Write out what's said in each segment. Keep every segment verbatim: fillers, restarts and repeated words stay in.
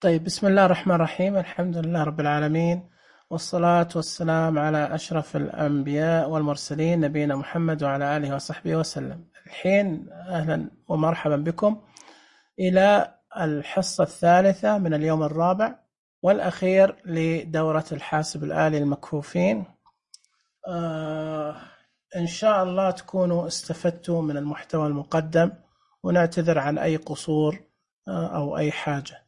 طيب، بسم الله الرحمن الرحيم. الحمد لله رب العالمين، والصلاة والسلام على أشرف الأنبياء والمرسلين نبينا محمد وعلى آله وصحبه وسلم. الحين أهلا ومرحبا بكم إلى الحصة الثالثة من اليوم الرابع والأخير لدورة الحاسب الآلي المكفوفين. آه إن شاء الله تكونوا استفدتوا من المحتوى المقدم، ونعتذر عن أي قصور آه أو أي حاجة.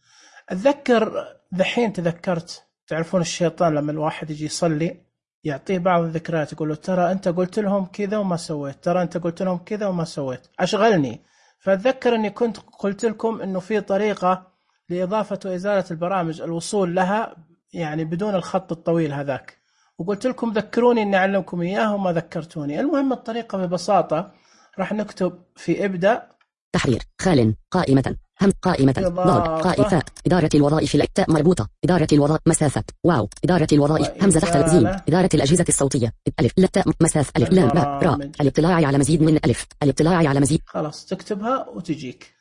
أتذكر ذحين تذكرت، تعرفون الشيطان لما الواحد يجي يصلي يعطيه بعض الذكريات، يقول له ترى أنت قلت لهم كذا وما سويت، ترى أنت قلت لهم كذا وما سويت، أشغلني. فأتذكر أني كنت قلت لكم أنه في طريقة لإضافة وإزالة البرامج الوصول لها يعني بدون الخط الطويل هذاك، وقلت لكم ذكروني أني أعلمكم إياه وما ذكرتوني. المهم الطريقة ببساطة راح نكتب في ابدأ تحرير خال قائمة هم قائمة ضاد قائفة إدارة الوظائف التاء مربوطة إدارة الوظائف مسافة واو إدارة الوظائف همزة تحت الزين إدارة الأجهزة الصوتية ألف لتاء مسافة ألف لام باء راء الاطلاع على مزيد من ألف الاطلاع على مزيد. خلاص تكتبها وتجيك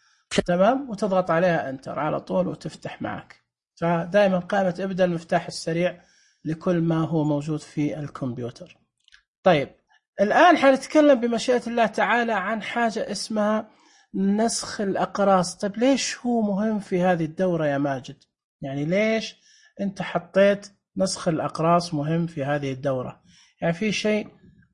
تمام، وتضغط عليها انتر على طول وتفتح معك. فدائما قائمة ابدأ المفتاح السريع لكل ما هو موجود في الكمبيوتر. طيب الآن حنتكلم بمشيئة الله تعالى عن حاجة اسمها نسخ الأقراص. طيب ليش هو مهم في هذه الدورة يا ماجد؟ يعني ليش أنت حطيت نسخ الأقراص مهم في هذه الدورة؟ يعني في شيء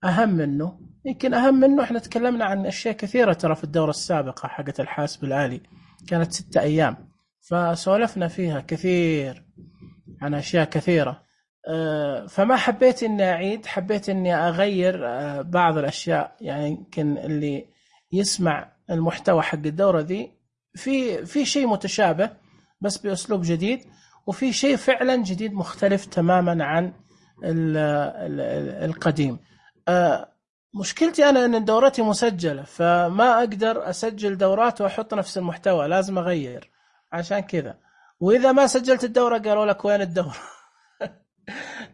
أهم منه؟ يمكن أهم منه احنا تكلمنا عن أشياء كثيرة ترى في الدورة السابقة حقة الحاسب الآلي، كانت ستة أيام فسولفنا فيها كثير عن أشياء كثيرة. فما حبيت إني أعيد، حبيت إني أغير بعض الأشياء. يعني يمكن اللي يسمع المحتوى حق الدورة ذي في في شيء متشابه بس بأسلوب جديد، وفي شيء فعلا جديد مختلف تماما عن ال ال القديم. مشكلتي أنا أن دورتي مسجلة، فما أقدر أسجل دورات وأحط نفس المحتوى، لازم أغير عشان كذا. وإذا ما سجلت الدورة قالوا لك وين الدورة؟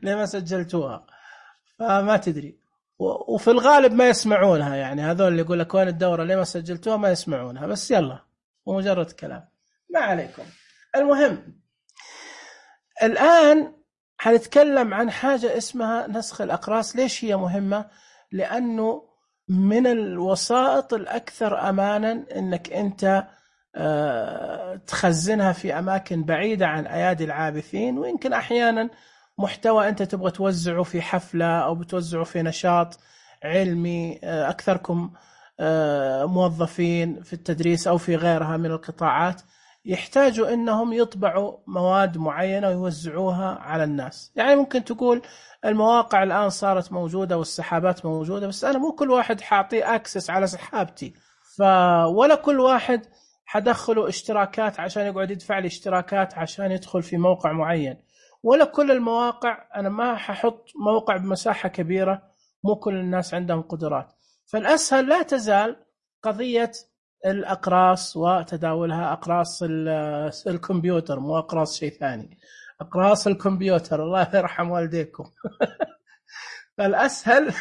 ليه ما سجلتوها؟ فما تدري. وفي الغالب ما يسمعونها، يعني هذول اللي يقول لك وين الدورة ليه ما سجلتوها ما يسمعونها، بس يلا ومجرد كلام ما عليكم. المهم الآن حنتكلم عن حاجة اسمها نسخ الأقراص. ليش هي مهمة؟ لأنه من الوسائط الأكثر أمانا أنك أنت تخزنها في أماكن بعيدة عن أيادي العابثين، ويمكن أحيانا محتوى أنت تبغى توزعه في حفلة أو بتوزعه في نشاط علمي، أكثركم موظفين في التدريس أو في غيرها من القطاعات يحتاجوا أنهم يطبعوا مواد معينة ويوزعوها على الناس. يعني ممكن تقول المواقع الآن صارت موجودة والسحابات موجودة، بس أنا مو كل واحد حاعطيه أكسس على سحابتي، ولا كل واحد حدخله اشتراكات عشان يقعد يدفع لي اشتراكات عشان يدخل في موقع معين، ولا كل المواقع. أنا ما ححط موقع بمساحة كبيرة، مو كل الناس عندهم قدرات. فالأسهل لا تزال قضية الأقراص وتداولها، أقراص الكمبيوتر مو أقراص شيء ثاني، أقراص الكمبيوتر الله يرحم والديكم. فالأسهل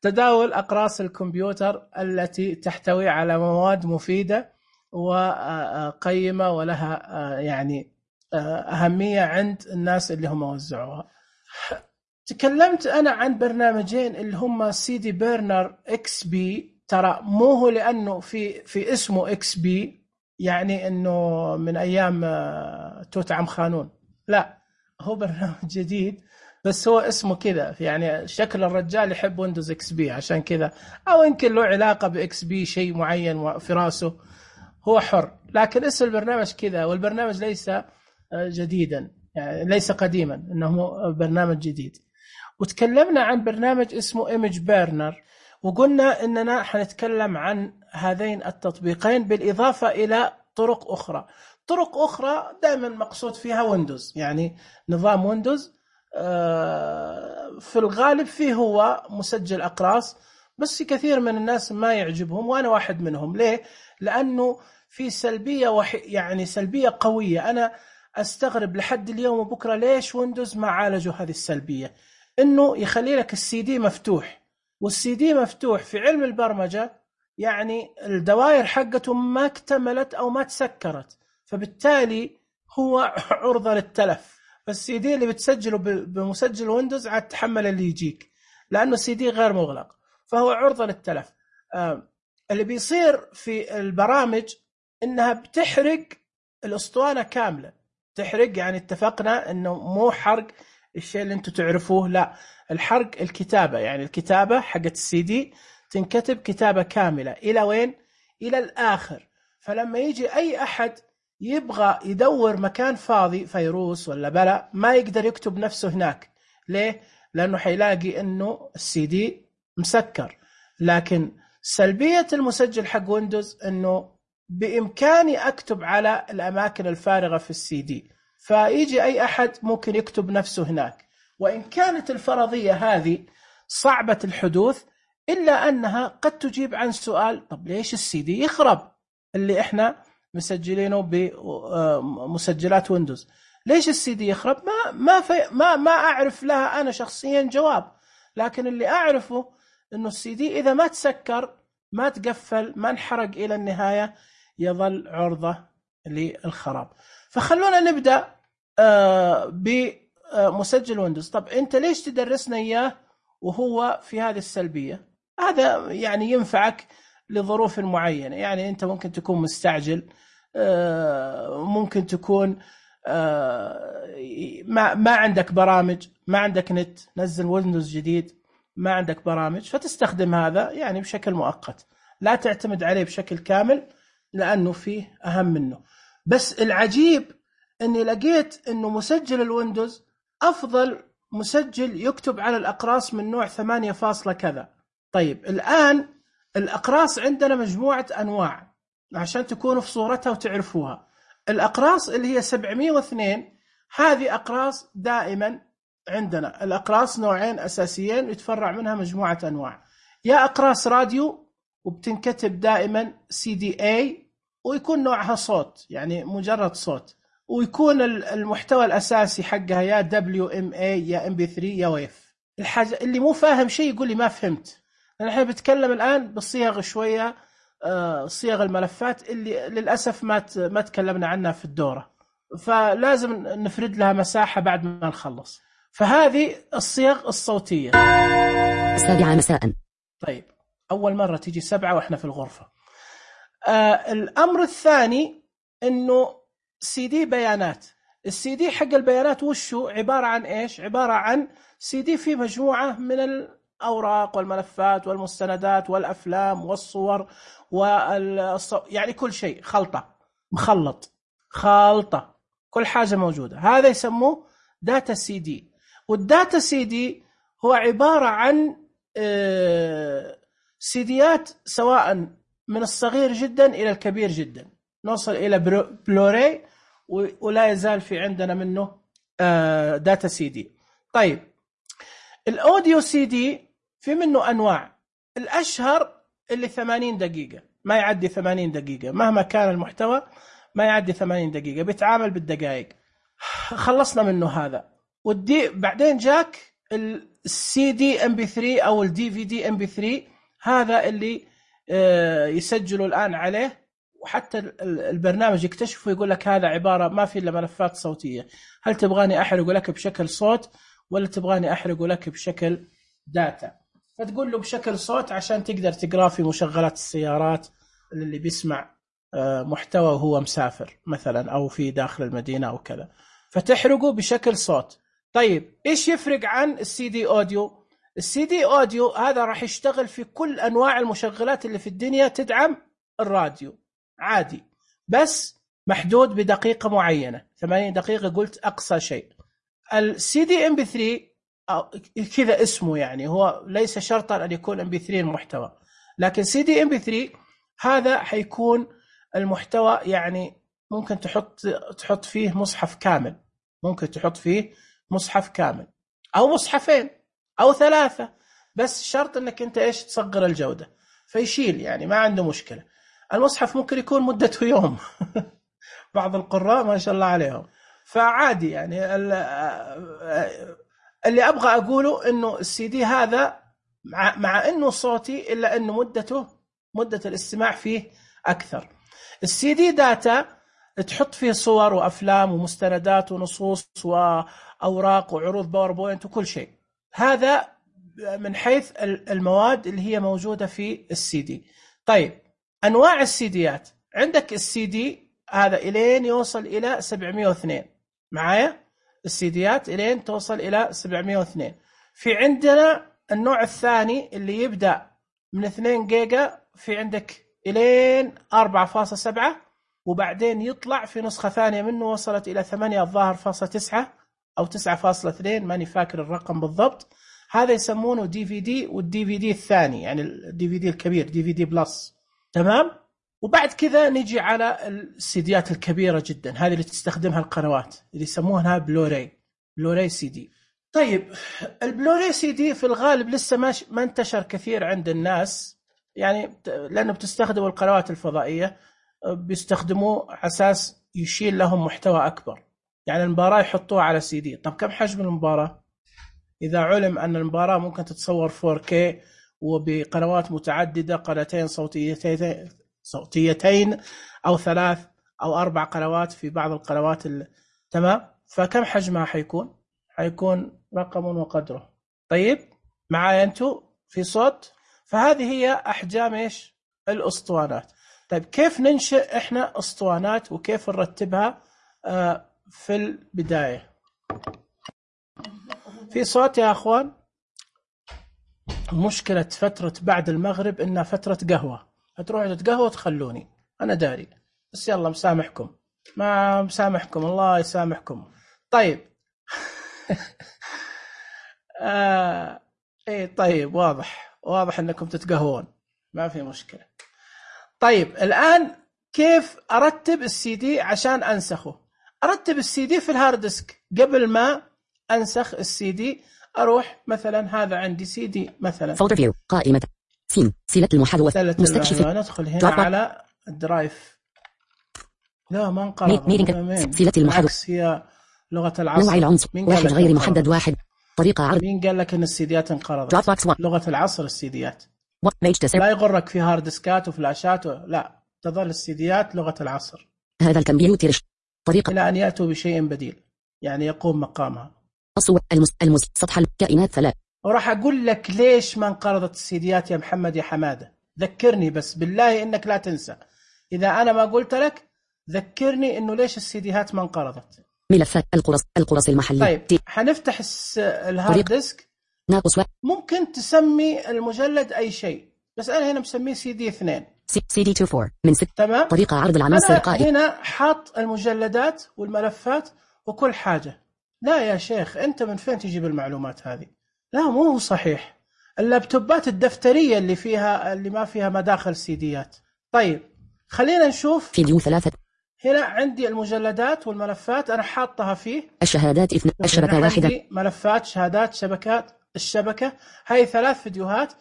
تداول أقراص الكمبيوتر التي تحتوي على مواد مفيدة وقيمة ولها يعني أهمية عند الناس اللي هم وزعوها. تكلمت أنا عن برنامجين اللي هم سي دي بيرنر إكس بي. ترى مو هو لأنه في في اسمه إكس بي يعني إنه من أيام توت عنخ آمون، لا، هو برنامج جديد بس هو اسمه كذا، يعني شكل الرجال يحب ويندوز إكس بي عشان كذا، أو يمكن له علاقة بإكس بي شيء معين في راسه، هو حر، لكن اسم البرنامج كذا. والبرنامج ليس جديدا، يعني ليس قديما، إنه برنامج جديد. وتكلمنا عن برنامج اسمه Image Burner، وقلنا إننا حنتكلم عن هذين التطبيقين بالإضافة إلى طرق أخرى. طرق أخرى دائما مقصود فيها ويندوز، يعني نظام ويندوز في الغالب فيه هو مسجل أقراص، بس كثير من الناس ما يعجبهم وأنا واحد منهم. ليه؟ لأنه في سلبية وح... يعني سلبية قوية. أنا أستغرب لحد اليوم وبكرة ليش ويندوز ما عالجوا هذه السلبية، إنه يخلي لك السي دي مفتوح، والسي دي مفتوح في علم البرمجة يعني الدوائر حقته ما اكتملت أو ما تسكرت، فبالتالي هو عرضة للتلف. فالسي دي اللي بتسجله بمسجل ويندوز عاد تحمل اللي يجيك، لأنه السي دي غير مغلق فهو عرضة للتلف. آه اللي بيصير في البرامج إنها بتحرق الأسطوانة كاملة. تحرق يعني اتفقنا إنه مو حرق الشيء اللي أنتم تعرفوه، لا، الحرق الكتابة، يعني الكتابة حقت السي دي تنكتب كتابة كاملة إلى وين؟ إلى الآخر. فلما يجي أي أحد يبغى يدور مكان فاضي فيروس ولا بلا ما يقدر يكتب نفسه هناك. ليه؟ لأنه حيلاقي أنه السي دي مسكر. لكن سلبية المسجل حق ويندوز أنه بإمكاني أكتب على الأماكن الفارغة في السي دي، فيجي أي أحد ممكن يكتب نفسه هناك. وإن كانت الفرضية هذه صعبة الحدوث إلا أنها قد تجيب عن سؤال: طب ليش السي دي يخرب اللي إحنا مسجلينه بمسجلات ويندوز؟ ليش السي دي يخرب؟ ما ما في ما ما أعرف لها أنا شخصيا جواب، لكن اللي أعرفه إنه السي دي إذا ما تسكر، ما تقفل، ما انحرق إلى النهاية، يظل عرضة للخراب. فخلونا نبدأ بمسجل ويندوز. طب أنت ليش تدرسنا إياه وهو في هذه السلبية؟ هذا يعني ينفعك لظروف معينة. يعني أنت ممكن تكون مستعجل، ممكن تكون ما ما عندك برامج، ما عندك نت، نزل ويندوز جديد، ما عندك برامج، فتستخدم هذا يعني بشكل مؤقت، لا تعتمد عليه بشكل كامل لأنه فيه أهم منه. بس العجيب أني لقيت أنه مسجل الويندوز أفضل مسجل يكتب على الأقراص من نوع ثمانية فاصلة كذا. طيب الآن الأقراص عندنا مجموعة أنواع عشان تكونوا في صورتها وتعرفوها. الأقراص اللي هي سبعمية واثنين هذه أقراص دائما عندنا. الأقراص نوعين أساسيين يتفرع منها مجموعة أنواع، يا أقراص راديو وبتنكتب دائما سي دي اي ويكون نوعها صوت، يعني مجرد صوت، ويكون المحتوى الأساسي حقها يا دبليو إم إيه يا إم بي ثري يا ويف. الحاجة اللي مو فاهم شيء يقول لي ما فهمت، لأن احنا بنتكلم الآن بالصيغ شوية، صيغ الملفات اللي للأسف ما ما تكلمنا عنها في الدورة، فلازم نفرد لها مساحة بعد ما نخلص. فهذه الصيغ الصوتية. السابعة مساء. طيب أول مرة تيجي سبعة وإحنا في الغرفة. آه الأمر الثاني إنه سي دي بيانات. السي دي حق البيانات وشو عبارة عن إيش؟ عبارة عن سي دي فيه مجموعة من الأوراق والملفات والمستندات والأفلام والصور والصو... يعني كل شيء خلطة، مخلط، خلطة، كل حاجة موجودة. هذا يسموه داتا سي دي. والداتا سي دي هو عبارة عن سيديات سواء من الصغير جدا إلى الكبير جدا، نوصل إلى بلوراي، ولا يزال في عندنا منه داتا سي دي. طيب الأوديو سي دي في منه أنواع. الأشهر اللي ثمانين دقيقة، ما يعدي ثمانين دقيقة مهما كان المحتوى، ما يعدي ثمانين دقيقة، بيتعامل بالدقائق. خلصنا منه هذا. ودي بعدين جاك السي دي ام بي ثري او الدي في دي ام بي ثري، هذا اللي يسجلوا الآن عليه، وحتى البرنامج يكتشفه يقول لك هذا عبارة ما في إلا ملفات صوتية. هل تبغاني أحرق لك بشكل صوت ولا تبغاني أحرق لك بشكل داتا؟ فتقول له بشكل صوت عشان تقدر تقرأ في مشغلات السيارات اللي بيسمع محتوى وهو مسافر مثلا أو في داخل المدينة أو كذا، فتحرقه بشكل صوت. طيب إيش يفرق عن السي دي أوديو؟ السي دي أوديو هذا راح يشتغل في كل أنواع المشغلات اللي في الدنيا تدعم الراديو عادي، بس محدود بدقيقة معينة، ثمانين دقيقة قلت أقصى شيء. السي دي ام بي ثري كذا اسمه، يعني هو ليس شرطا أن يكون ام بي ثري المحتوى، لكن سي دي ام بي ثري هذا حيكون المحتوى، يعني ممكن تحط تحط فيه مصحف كامل، ممكن تحط فيه مصحف كامل أو مصحفين أو ثلاثة، بس شرط أنك أنت إيش تصغر الجودة فيشيل، يعني ما عنده مشكلة. المصحف ممكن يكون مدته يوم بعض القراء ما شاء الله عليهم، فعادي. يعني اللي أبغى أقوله أنه السي دي هذا مع, مع أنه صوتي إلا أنه مدته مدة الاستماع فيه أكثر. السي دي داتا، تحط فيه صور وأفلام ومستندات ونصوص وأوراق وعروض باوربوينت وكل شيء. هذا من حيث المواد اللي هي موجودة في السي دي. طيب أنواع السيديات، عندك السي دي هذا إلين يوصل إلى سبعمية واثنين، معايا السيديات إلين توصل إلى سبعمية واثنين. في عندنا النوع الثاني اللي يبدأ من اثنين جيجا، في عندك إلين أربعة فاصلة سبعة، وبعدين يطلع في نسخة ثانية منه وصلت إلى ثمانية الظاهر فاصلة تسعة أو تسعة فاصلة اثنين، ماني فاكر الرقم بالضبط. هذا يسمونه دي في دي، والدي في دي الثاني يعني الدي في دي الكبير، دي في دي بلس. تمام. وبعد كذا نجي على السيديات الكبيرة جدا، هذه اللي تستخدمها القنوات اللي يسمونها بلوراي، بلوراي سي دي. طيب البلوراي سي دي في الغالب لسه ما ما انتشر كثير عند الناس، يعني لأنه بتستخدموا القنوات الفضائية، بيستخدموه أساس يشيل لهم محتوى أكبر. يعني المباراة يحطوها على سي دي. طب كم حجم المباراة؟ إذا علم أن المباراة ممكن تتصور فور كي وبقنوات متعددة، قناتين صوتيتين صوتيتين أو ثلاث أو أربع قنوات في بعض القنوات ال... تمام. فكم حجمها حيكون؟ حيكون رقم وقدره. طيب معايا أنتوا في صوت؟ فهذه هي أحجام إيش الأسطوانات. طيب كيف ننشئ إحنا أسطوانات وكيف نرتبها آه في البداية؟ في صوت يا أخوان؟ مشكلة فترة بعد المغرب إنها فترة قهوة، هتروحوا تتقهووا تخلوني أنا داري، بس يلا مسامحكم، ما مسامحكم، الله يسامحكم. طيب آه إيه طيب واضح واضح إنكم تتقهوون، ما في مشكلة. طيب الآن كيف أرتب السي دي عشان أنسخه؟ أرتب السي دي في الهارد ديسك. قبل ما أنسخ السي دي أروح مثلا هذا عندي سي دي مثلا فولدر فيو قائمة سين سلة المحاذوة مستكشف، ندخل هنا على الدرايف. لا ما انقرض سلة المحاذوة، هي لغة العصر. نوع العنصر واحد غير محدد واحد. طريقة عرض. مين قال لك ان السيديات انقرضت؟ لغة العصر السيديات. لا يغرك في هارد ديسكات وفلاشات و... لا، تظل السيديات لغة العصر. هذا الكمبيوتر طريقة إلى أن يأتوا بشيء بديل يعني يقوم مقامها. الصور المس المس سطح الكائنات ثلاث. وراح أقول لك ليش ما انقرضت السيديات يا محمد يا حمادة. ذكرني بس بالله إنك لا تنسى، إذا أنا ما قلت لك ذكرني إنه ليش السيديات ما انقرضت. ملفات القرص القرص المحلي. طيب حنفتح الهارد ديسك. ناقص و... ممكن تسمي المجلد أي شيء، بس أنا هنا مسميه سي دي اثنين، سي دي أربعة وعشرين من ست. تمام. طريقة عرض العناصر قائمة. هنا حاط المجلدات والملفات وكل حاجة. لا يا شيخ أنت من فين تجيب المعلومات هذه؟ لا مو هو صحيح. اللابتوبات الدفترية اللي فيها اللي ما فيها مداخل سيديات. طيب خلينا نشوف فيديو ثلاثة. هنا عندي المجلدات والملفات أنا حاطها فيه. الشهادات اثنين. الشبكة واحدة. ملفات شهادات شبكات الشبكة، هاي ثلاث فيديوهات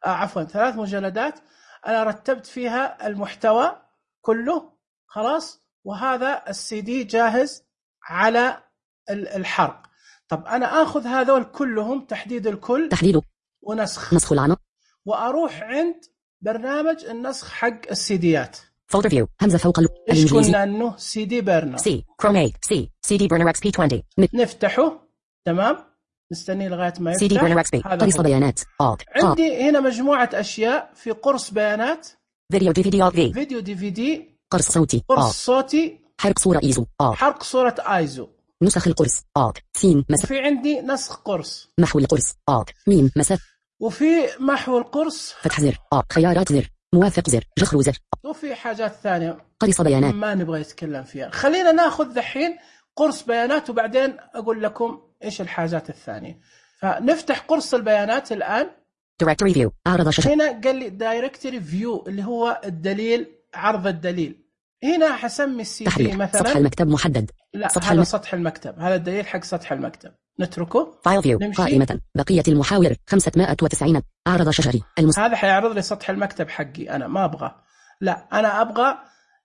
آه عفوا ثلاث مجلدات أنا رتبت فيها المحتوى كله خلاص، وهذا السي دي جاهز على الحرق. طب أنا أخذ هذول كلهم تحديد الكل تحديده ونسخ نسخ العناصر، وأروح عند برنامج النسخ حق السيديات. فولدر فيو همزة فوق إيش قلنا إنه سي دي برنر سي كرومي سي سي دي برنر اكس بي عشرين. نفتحه تمام، نستني لغاية ما يفتح. سي دي برنر اكس بي قرص بيانات. عندي هنا مجموعة أشياء في قرص بيانات، فيديو دي في دي في فيديو دي في دي، قرص صوتي، قرص صوتي، حرق صورة ايزو، حرق صورة ايزو، نسخ القرص، سين مسافة. وفي عندي نسخ قرص، محو القرص، ميم مسافة، وفي محو القرص، فتح زر، خيارات زر، موافق زر، جخر زر، وفي حاجات ثانية قرص بيانات ما نبغى نتكلم فيها. خلينا ناخذ دحين قرص بيانات وبعدين أقول لكم إيش الحاجات الثانية. فنفتح قرص البيانات الآن. Directory View أعرض شاشة. هنا قال لي Directory View اللي هو الدليل، عرض الدليل. هنا حسمي السي دي مثلا سطح المكتب محدد. لا سطح هذا الم... سطح المكتب، هذا الدليل حق سطح المكتب، نتركه. فايل فيو قائمة بقية المحاور خمسمائة وتسعين. أعرض شاشة المس... هذا حيعرض لي سطح المكتب حقي، أنا ما أبغى، لا أنا أبغى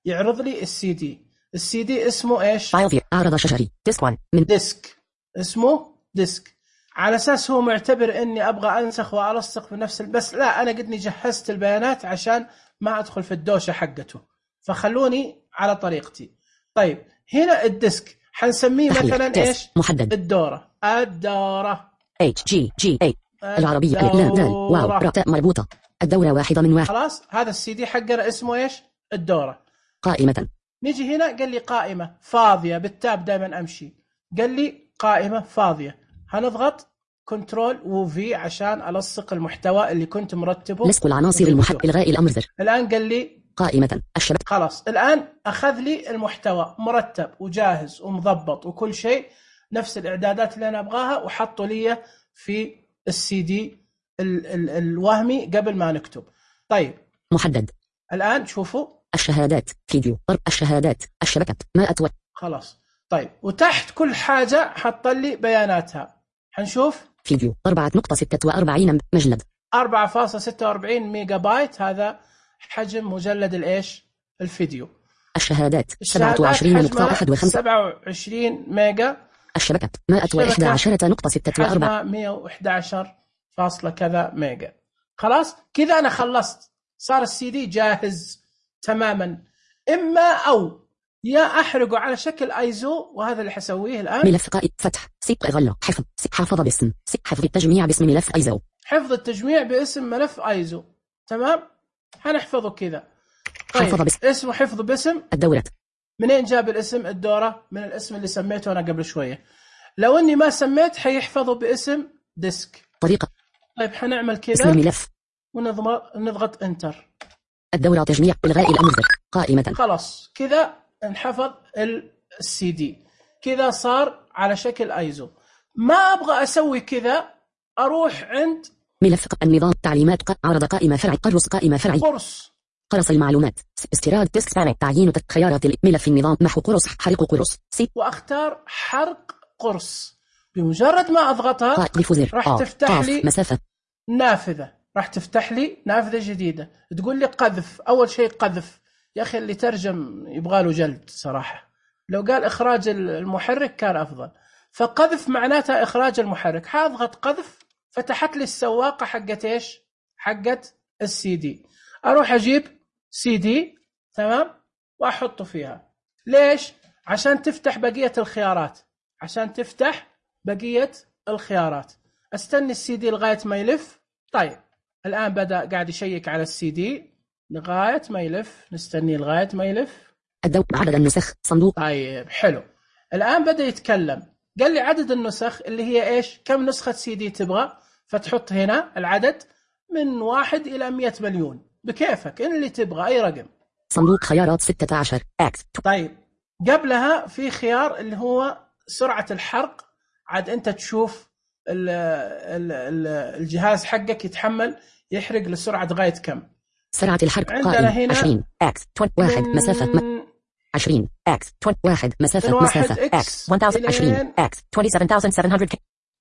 يعرض لي السي دي. السي دي اسمه إيش؟ فايل فيو أعرض شاشة ديسك واحد من ديسك، اسمه ديسك، على أساس هو معتبر إني أبغى أنسخ وألصق بنفس بس لا، أنا قدني جهزت البيانات عشان ما أدخل في الدوشة حقته، فخلوني على طريقتي. طيب هنا الديسك حنسميه مثلا ايش؟ محدد. الدورة. الدورة اتش جي جي اي العربية لا دال واو راء مربوطة. الدورة واحدة من واحد. خلاص هذا السي دي حقنا اسمه ايش؟ الدورة. قائمة. نيجي هنا قال لي قائمة فاضية، بالتاب دائما امشي، قال لي قائمة فاضية. هنضغط كنترول وفي عشان ألصق المحتوى اللي كنت مرتبه. لصق العناصر المحدد. إلغاء الأمر زر. الآن قال لي قائمة الشبكة. خلاص الآن أخذ لي المحتوى مرتب وجاهز ومضبط وكل شيء نفس الإعدادات اللي أنا أبغاها، وحطوا لي في السي دي ال ال الوهمي قبل ما نكتب. طيب محدد. الآن شوفوا الشهادات فيديو ضرب الشهادات الشبكة ما أتوى. خلاص طيب وتحت كل حاجة حط لي بياناتها. حنشوف فيديو أربعة نقطة ستة وأربعين مجلد أربعة فاصلة ستة وأربعين ميجا بايت، هذا حجم مجلد الإيش الفيديو. الشهادات سبعة وعشرين نقطة واحد وخمسين سبعة وعشرين ميجا. الشبكة مائة وإحدى عشرة نقطة ستة وأربعين مئة وإحدى عشر فاصلة كذا ميجا. خلاص كذا أنا خلصت، صار السي دي جاهز تماما. إما أو يا أحرقه على شكل ايزو، وهذا اللي حسويه الآن. ملف قائد فتح سيب غلة حفظ حافظ باسم حفظ التجميع باسم ملف ايزو. حفظ التجميع باسم ملف ايزو تمام، هنحفظه كذا. طيب حفظ باسم. اسمه حفظ باسم الدورة. منين جاب الاسم؟ الدورة من الاسم اللي سميته أنا قبل شوية. لو اني ما سميت حيحفظه باسم ديسك. طريقة. طيب حنعمل كذا اسم الملف ونضغط نضغط انتر. الدورة تجميع إلغاء الأمر قائمة. خلاص كذا انحفظ السي دي، كذا صار على شكل ايزو. ما ابغى اسوي كذا، اروح عند ملف النظام تعليمات عرض قائمة فرع قرص قائمة فرعي قرص قرص المعلومات استيراد ديسك سبانة تعيين خيارات ملف النظام محو قرص حرق قرص سي، واختار حرق قرص. بمجرد ما اضغطها راح تفتح لي مسافة نافذة، راح تفتح لي نافذة جديدة تقول لي قذف. اول شيء قذف، يا اخي اللي ترجم يبغى له جلد صراحة، لو قال اخراج المحرك كان افضل. فقذف معناتها اخراج المحرك. حاضغط قذف، فتحت لي السواقة حقت ايش؟ حقت السي دي. اروح اجيب سي دي تمام واحطه فيها. ليش؟ عشان تفتح بقية الخيارات، عشان تفتح بقية الخيارات. استني السي دي لغاية ما يلف. طيب الان بدأ قاعد يشيك على السي دي لغاية ما يلف، نستني لغاية ما يلف. الدور عدد النسخ صندوق. طيب حلو، الآن بدأ يتكلم. قال لي عدد النسخ اللي هي إيش؟ كم نسخة سي دي تبغى؟ فتحط هنا العدد من واحد إلى مئة مليون بكيفك، إن اللي تبغى أي رقم. صندوق خيارات ستة عشر اكس. طيب قبلها في خيار اللي هو سرعة الحرق. عاد أنت تشوف ال ال ال الجهاز حقك يتحمل يحرق لسرعة غاية كم. سرعة الحرق قائم عشرين اكس واحد مسافة م... عشرين اكس واحد مسافة مسافة اكس عشرين اكس سبعة وعشرين ألف وسبعمئة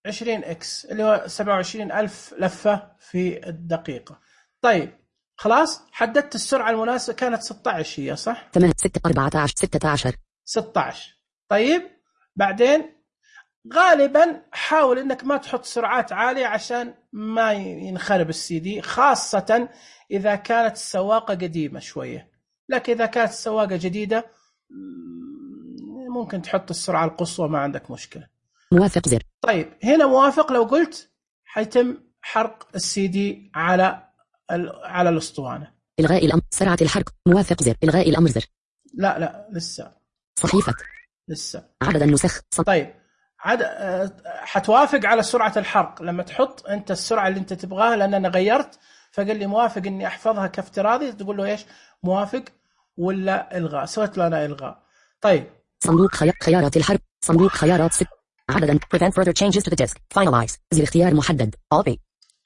عشرين اكس اللي هو سبعة وعشرين ألف لفة في الدقيقة. طيب خلاص حددت السرعة المناسبة، كانت ستة عشر هي صح؟ ثمانية ستة أربعة عشر ستة عشر ستة عشر. طيب بعدين غالبا حاول انك ما تحط سرعات عالية عشان ما ينخرب السي دي، خاصة اذا كانت السواقة قديمة شوية. لكن اذا كانت السواقة جديدة ممكن تحط السرعة القصوى، ما عندك مشكلة. موافق زر. طيب هنا موافق، لو قلت حيتم حرق السي دي على على الاسطوانة. الغاء الامر سرعة الحرق موافق زر. الغاء الامر زر. لا لا لسه صحيفة لسه عدد النسخ ص... طيب عد... حتوافق على سرعة الحرق لما تحط انت السرعة اللي انت تبغاها، لان انا غيرت فقال لي موافق اني احفظها كافتراضي. تقول له ايش؟ موافق ولا الغاء. سويت له انا الغاء. طيب صندوق خيار خيارات الحرق صندوق خيارات ست عددا prevent further changes to the disk finalize زر اختيار محدد all B.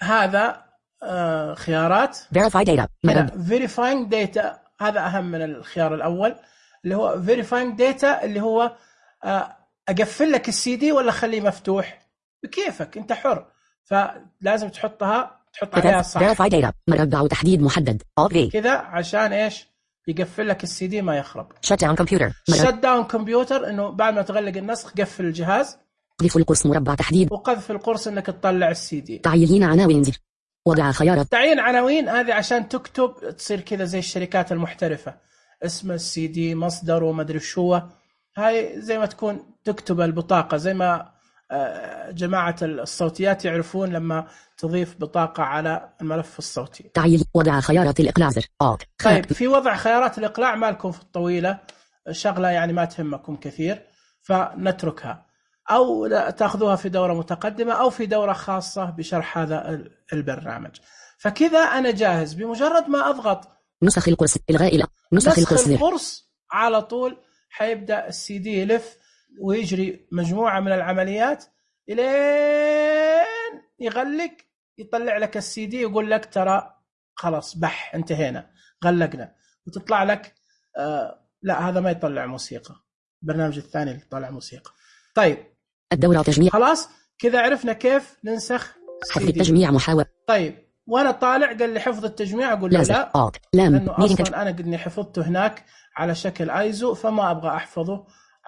هذا آه خيارات verify data verifying data. هذا اهم من الخيار الاول اللي هو verifying data، اللي هو آه اقفل لك السي دي ولا خليه مفتوح بكيفك انت حر، فلازم تحطها تحط عليها صح. verify data مربع وتحديد محدد all V كذا عشان ايش؟ يقفل لك السي دي ما يخرب. shut down computer shut down computer انه بعد ما تغلق النسخ قفل الجهاز. قذف القرص مربع تحديد. وقذف القرص انك تطلع السي دي. تعيين عناوين زر. وضع خيارات. تعيين عناوين هذه عشان تكتب تصير كذا زي الشركات المحترفة، اسم السي دي مصدر وما ادري شو. هاي زي ما تكون تكتب البطاقة، زي ما جماعة الصوتيات يعرفون لما تضيف بطاقة على الملف الصوتي. تعيين وضع خيارات الإقلاع زر. طيب في وضع خيارات الإقلاع ما لكم في الطويلة شغلة يعني ما تهمكم كثير فنتركها، أو تأخذوها في دورة متقدمة أو في دورة خاصة بشرح هذا البرنامج. فكذا أنا جاهز، بمجرد ما أضغط نسخ القرص إلغاء إلى نسخ, نسخ القرص, القرص على طول حيبدأ السي دي يلف ويجري مجموعة من العمليات إلين يغلق، يطلع لك السي دي يقول لك ترى خلاص بح انتهينا غلقنا، وتطلع لك آه لا هذا ما يطلع موسيقى، البرنامج الثاني اللي يطلع موسيقى. طيب الدورة تجميع، خلاص كذا عرفنا كيف ننسخ حفظ التجميع محاور. طيب وانا طالع قال لي حفظ التجميع، اقول له لا آه. لانه اصلا انا قدني حفظته هناك على شكل ايزو فما ابغى احفظه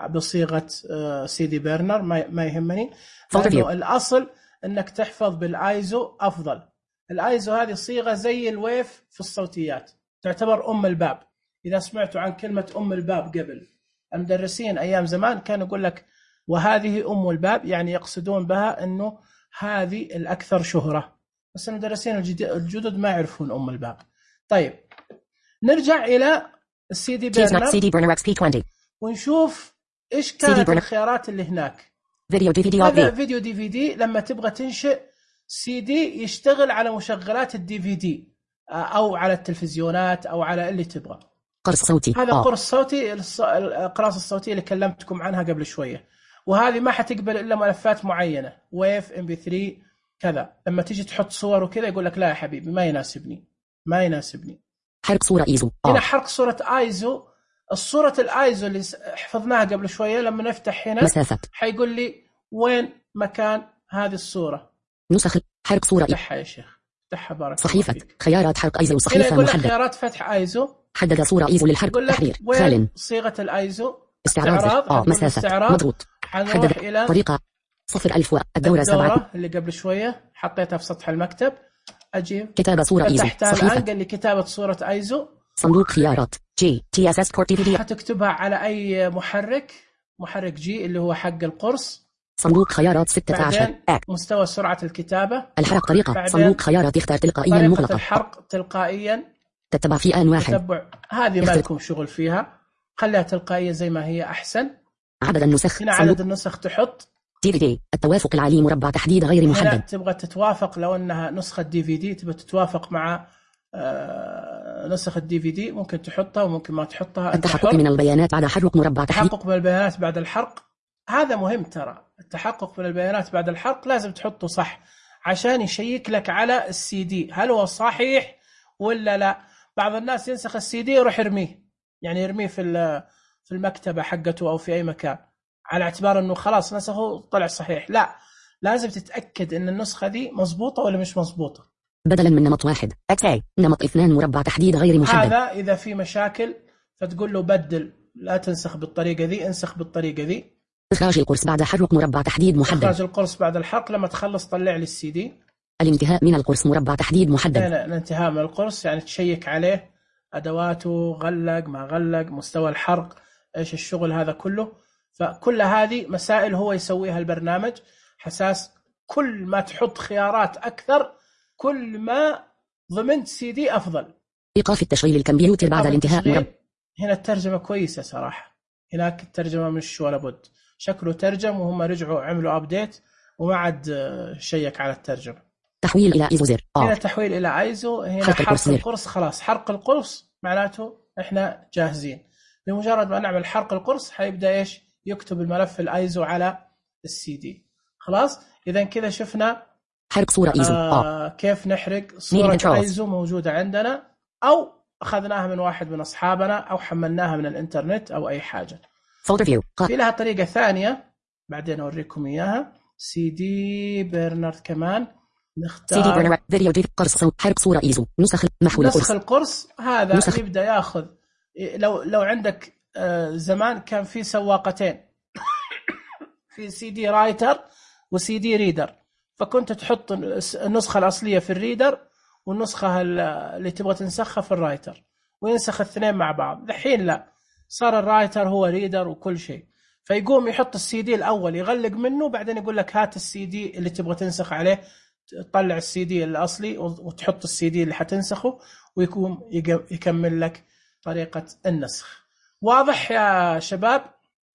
بصيغه سي دي برنر، ما يهمني، لانه الاصل انك تحفظ بالايزو افضل. الايزو هذه صيغه زي الويف في الصوتيات، تعتبر ام الباب. اذا سمعتوا عن كلمه ام الباب قبل، المدرسين ايام زمان كانوا يقول لك وهذه ام الباب، يعني يقصدون بها انه هذه الاكثر شهره، بس المدرسين الجدد ما يعرفون ام الباب. طيب نرجع الى السي دي برنر ونشوف ايش كانت الخيارات اللي هناك. فيديو دي في دي، هذا فيديو دي في دي لما تبغى تنشئ سي دي يشتغل على مشغلات الدي في دي او على التلفزيونات او على اللي تبغى. قرص صوتي، هذا قرص صوتي، الأقراص الصوتية اللي كلمتكم عنها قبل شوية، وهذه ما حتقبل إلا ملفات معينة، ويف ام بي ثري كذا. لما تيجي تحط صور وكذا يقول لك لا يا حبيبي ما يناسبني ما يناسبني حرق صورة ايزو. هنا حرق صورة ايزو، الصورة الايزو اللي حفظناها قبل شوية لما نفتح هنا مسافة حيقول لي وين مكان هذه الصورة. نسخ حرق صورة افتحها يا شيخ، افتحها بارك صحيفة خيارات حرق ايزو، صحيفة محدد خيارات فتح ايزو، حدد صورة ايزو للحرق تحرير خال صيغة الايزو استعراض اه مسافة مضغوط حدد إلى طريقة صفر ألف الدورة سبعة اللي قبل شوية حطيتها في سطح المكتب. أجيب كتابة صورة ايزو صحيفة، قال لي كتابة صورة ايزو، صندوق خيارات جي تي اس اس كور تي في دي، حتكتبها على اي محرك محرك جي اللي هو حق القرص. صندوق خيارات ستة عشر مستوى سرعة الكتابة، الحرق طريقة صندوق خيارات اختار تلقائيا مغلقة، الحرق تلقائيا تتبع في آن واحد تتبع. هذه ما لكم شغل فيها، خليها تلقائية زي ما هي أحسن. عدد النسخ، هنا عدد النسخ تحط دي في دي، التوافق العالي مربع تحديد غير محدد. هنا تبغى تتوافق، لو أنها نسخة دي في دي تبغى تتوافق مع آه نسخة دي في دي ممكن تحطها وممكن ما تحطها. التحقق من البيانات بعد حرق مربع تحديد، التحقق من البيانات بعد الحرق هذا مهم ترى، التحقق من البيانات بعد الحرق لازم تحطه صح عشان يشيك لك على السي دي هل هو صحيح ولا لا. بعض الناس ينسخ السي دي يروح يرميه، يعني يرميه في في المكتبة حقته أو في أي مكان على اعتبار أنه خلاص نسخه طلع صحيح. لا، لازم تتأكد أن النسخة دي مضبوطة ولا مش مضبوطة. بدلا من نمط واحد اكس نمط اثنان مربع تحديد غير محدد. هذا إذا في مشاكل فتقول له بدل، لا تنسخ بالطريقة ذي، انسخ بالطريقة ذي. إخراج القرص بعد حرق مربع تحديد محدد. إخراج القرص بعد الحرق، لما تخلص طلع لي السي دي. الانتهاء من القرص مربع تحديد محدد. الانتهاء من القرص يعني تشيك عليه أدواته، غلق ما غلق، مستوى الحرق، إيش الشغل هذا كله. فكل هذه مسائل هو يسويها البرنامج، حساس كل ما تحط خيارات أكثر كل ما ضمنت سي دي أفضل. إيقاف التشغيل الكمبيوتر بعد الانتهاء مربع. هنا الترجمة كويسة صراحة، هناك الترجمة مش ولا بد، شكله ترجم وهم رجعوا عملوا أبديت وما عاد شيك على الترجمة. تحويل إلى إيزو زر. هنا تحويل إلى إيزو، هنا حرق, حرق القرص. خلاص حرق القرص معناته إحنا جاهزين. بمجرد ما نعمل حرق القرص حيبدأ إيش يكتب الملف الإيزو على السي دي. خلاص إذا كذا شفنا حرق صورة إيزو. آه كيف نحرق صورة إيزو موجودة عندنا، أو أخذناها من واحد من أصحابنا أو حملناها من الإنترنت أو أي حاجة. في لها طريقة ثانية بعدين أوريكم إياها. سي دي برنر كمان نختار سي دي برنر فيديو دي قرص صوت حرق صورة إيزو نسخ محو نسخ القرص. هذا نسخ. يبدأ يأخذ، لو لو عندك زمان كان في سواقتين في سي دي رايتر وسي دي ريدر، فكنت تحط النسخة الأصلية في الريدر والنسخة اللي تبغى تنسخها في الرايتر وينسخ الاثنين مع بعض. الحين لا، صار الرايتر هو ريدر وكل شيء. فيقوم يحط السي دي الأول يغلق منه، بعدين يقول لك هات السي دي اللي تبغى تنسخ عليه، تطلع السي دي الأصلي وتحط السي دي اللي حتنسخه، ويكون يكمل لك طريقة النسخ. واضح يا شباب؟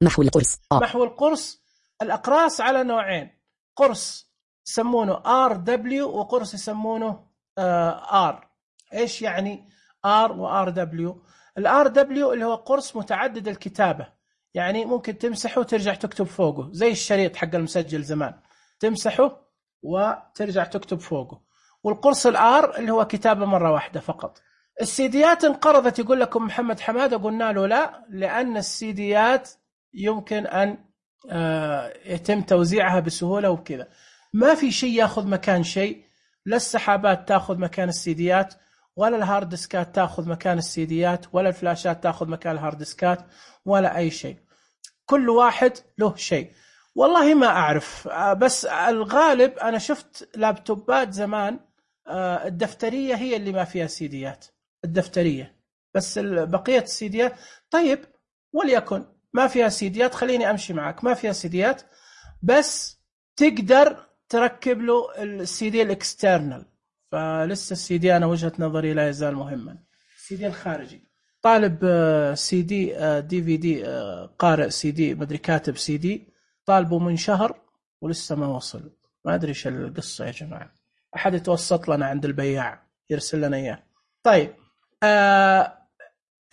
محو القرص. محو القرص، الأقراص على نوعين، قرص يسمونه آر دبليو وقرص يسمونه آر. إيش يعني آر وآر دبليو؟ الآر دبليو اللي هو قرص متعدد الكتابة، يعني ممكن تمسحه وترجع تكتب فوقه، زي الشريط حق المسجل زمان، تمسحه وترجع تكتب فوقه. والقرص الآر اللي هو كتابة مرة واحدة فقط. السيديات انقرضت يقول لكم محمد حمادة، قلنا له لا، لأن السيديات يمكن أن يتم توزيعها بسهولة وكذا، ما في شيء ياخذ مكان شيء، لا السحابات تاخذ مكان السيديات، ولا الهارد ديسكات تاخذ مكان السيديات، ولا الفلاشات تاخذ مكان الهارد ديسكات، ولا أي شيء. كل واحد له شيء. والله ما أعرف، بس الغالب أنا شفت لابتوبات زمان الدفترية هي اللي ما فيها سيديات، الدفترية بس، بقية السيديات. طيب وليكن ما فيها سيديات، خليني أمشي معك، ما فيها سيديات، بس تقدر تركب له السيدي الاكسترنال. فلسه السيدي أنا وجهة نظري لا يزال مهما، السيدي الخارجي. طالب سيدي دي في دي، قارئ سيدي، مدري كاتب سيدي، طالبه من شهر ولسه ما وصل، ما أدري إيش القصة يا جماعة. أحد يتوسط لنا عند البياع يرسل لنا إياه. طيب آه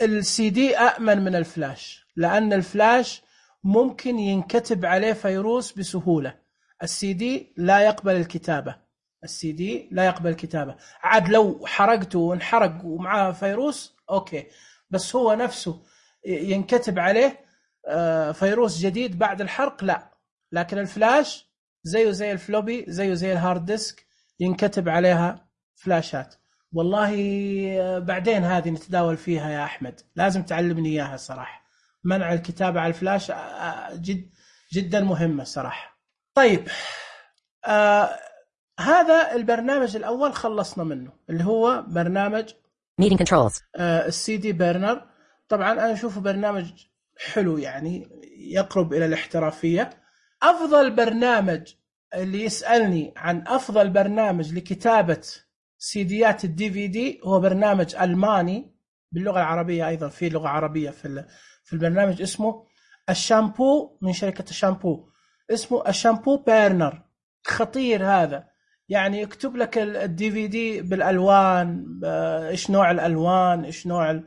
السي دي أأمن من الفلاش، لأن الفلاش ممكن ينكتب عليه فيروس بسهولة، السي دي لا يقبل الكتابة، السي دي لا يقبل الكتابة. عاد لو حرقته وانحرق ومعاه فيروس أوكي، بس هو نفسه ينكتب عليه فيروس جديد بعد الحرق لا. لكن الفلاش زيه زي الفلوبي، زيه زي الهارد ديسك، ينكتب عليها فلاشات. والله بعدين هذه نتداول فيها يا أحمد، لازم تعلمني إياها صراحة. منع الكتابة على الفلاش جد جدا مهمة صراحة. طيب آه هذا البرنامج الأول خلصنا منه، اللي هو برنامج Meeting Controls. آه السي دي بيرنر. طبعا أنا أشوفه برنامج حلو، يعني يقرب إلى الاحترافية. أفضل برنامج اللي يسألني عن أفضل برنامج لكتابة سيديات الدي في دي هو برنامج ألماني باللغة العربية، أيضا في لغة عربية في في البرنامج، اسمه الشامبو، من شركة الشامبو، اسمه الشامبو بيرنر. خطير هذا، يعني يكتب لك الدي في دي بالألوان، إيش نوع الألوان، إيش نوع